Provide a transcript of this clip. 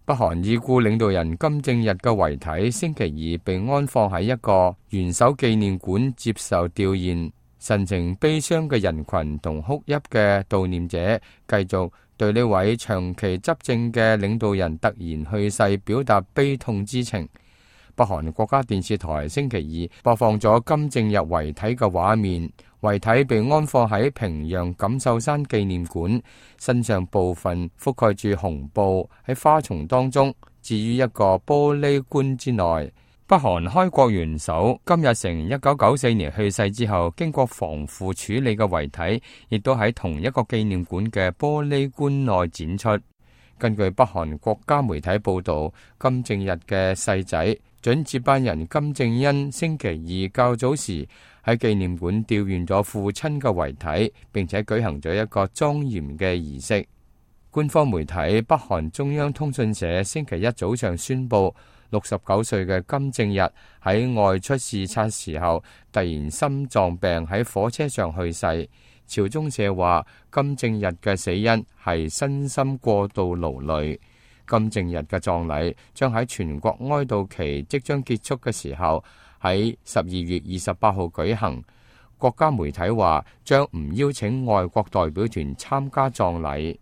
北韓已故領導人金正日嘅遺體星期二被安放喺一個元首紀念館接受弔唁，神情悲傷嘅人群同哭泣嘅悼念者繼續對呢位長期執政嘅領導人突然去世表達悲痛之情。北韓國家電視台星期二播放咗金正日遺體嘅畫面，遺體被安放喺平壤錦繡山紀念館，身上部分覆蓋住紅布，喺花叢當中置於一個玻璃棺之內。北韓開國元首金日成1994年去世之後，經過防腐處理嘅遺體，亦都喺同一個紀念館嘅玻璃棺內展出。根據北韓國家媒體報道，金正日嘅細仔準接班人金正恩星期二較早時喺紀念館弔唁咗父親嘅遺體，並且舉行咗一個莊嚴嘅儀式。官方媒體北韓中央通訊社星期一早上宣布，69歲嘅金正日喺外出視察時候突然心臟病喺火車上去世。朝中社話，金正日嘅死因係身心過度勞累。金正日嘅葬禮將喺全國哀悼期即將結束嘅時候喺12月28號舉行。國家媒體話將唔邀請外國代表團參加葬禮。